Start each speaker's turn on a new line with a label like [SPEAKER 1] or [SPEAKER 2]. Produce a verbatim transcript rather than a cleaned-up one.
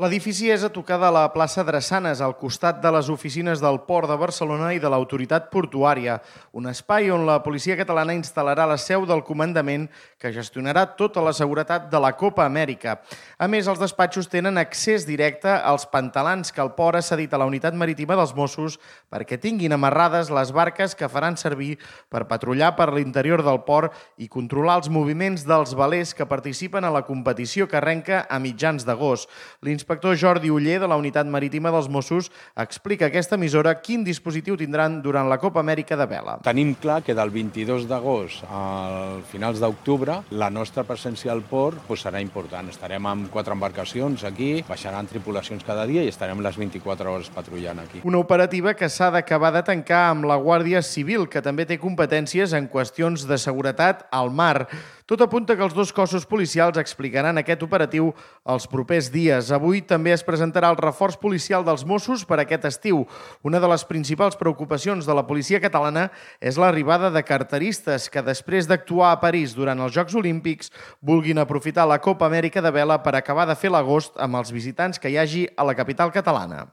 [SPEAKER 1] L'edifici és a tocar de la plaça Drassanes, al costat de les oficines del Port de Barcelona i de l'Autoritat Portuària, un espai on la policia catalana instal·larà la seu del comandament que gestionarà tota la seguretat de la Copa Amèrica. A més, els despatxos tenen accés directe als pantalans que el port ha cedit a la Unitat Marítima dels Mossos perquè tinguin amarrades les barques que faran servir per patrullar per l'interior del port i controlar els moviments dels velers que participen a la competició que arrenca a mitjans d'agost. L'inspector Jordi Oller, de la Unitat Marítima dels Mossos, explica a aquesta emissora quin dispositiu tindran durant la Copa Amèrica de vela.
[SPEAKER 2] Tenim clar que del vint-i-dos d'agost a finals d'octubre la nostra presència al port pues, serà important. Estarem amb quatre embarcacions aquí, baixaran tripulacions cada dia i estarem les vint-i-quatre hores patrullant aquí.
[SPEAKER 1] Una operativa que s'ha d'acabar de tancar amb la Guàrdia Civil, que també té competències en qüestions de seguretat al mar. Tot apunta que els dos cossos policials explicaran aquest operatiu els propers dies. Avui també es presentarà el reforç policial dels Mossos per aquest estiu. Una de les principals preocupacions de la policia catalana és l'arribada de carteristes que, després d'actuar a París durant els Jocs Olímpics, vulguin aprofitar la Copa Amèrica de vela per acabar de fer l'agost amb els visitants que hi hagi a la capital catalana.